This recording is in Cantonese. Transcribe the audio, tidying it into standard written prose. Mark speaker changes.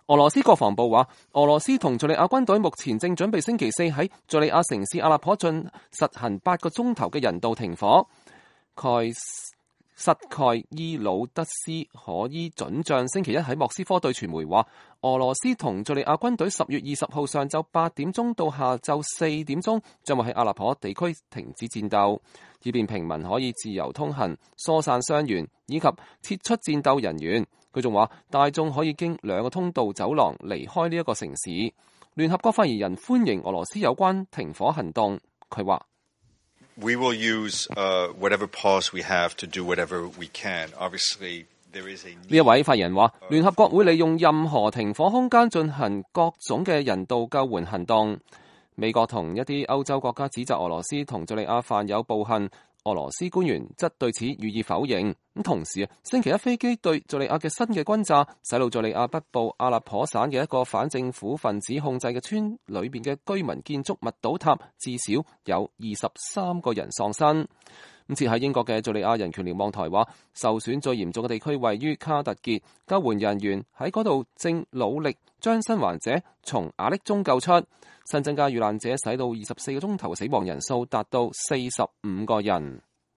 Speaker 1: 俄羅斯國防部話，俄羅斯同敘利亞軍隊目前正準備星期四喺敘利亞城市阿勒頗實行8個鐘頭嘅人道停火。塞蓋伊魯德斯可伊准將星期一喺莫斯科對傳媒話，俄羅斯同敘利亞軍隊10月20號上晝8點鐘到下晝4點鐘將會喺阿勒頗地區停止戰鬥，以便平民可以自由通行、疏散傷員以及撤出戰鬥人員。佢仲話，大眾可以經2個通道走廊離開呢一個城市。聯合國發言人歡迎俄羅斯有關停火行動。佢話
Speaker 2: ：We will use whatever pause we have to do whatever we can. Obviously, there is a need.
Speaker 1: 呢一位發言人話，聯合國會利用任何停火空間進行各種嘅人道救援行動。美國同一啲歐洲國家指責俄羅斯同敘利亞犯有暴行。俄羅斯官員則對此予以否認。咁同時，星期一飛機對敘利亞嘅新嘅轟炸，使到敘利亞北部阿勒頗省嘅一個反政府分子控制嘅村裏邊嘅居民建築物倒塌，至少有23個人喪生。咁設喺英國嘅敘利亞人權瞭望台話，受損最嚴重嘅地區位於卡特傑，救援人員喺嗰度正努力將生還者從瓦礫中救出。新增加遇難者使到24個鐘頭嘅死亡人數達到45個人。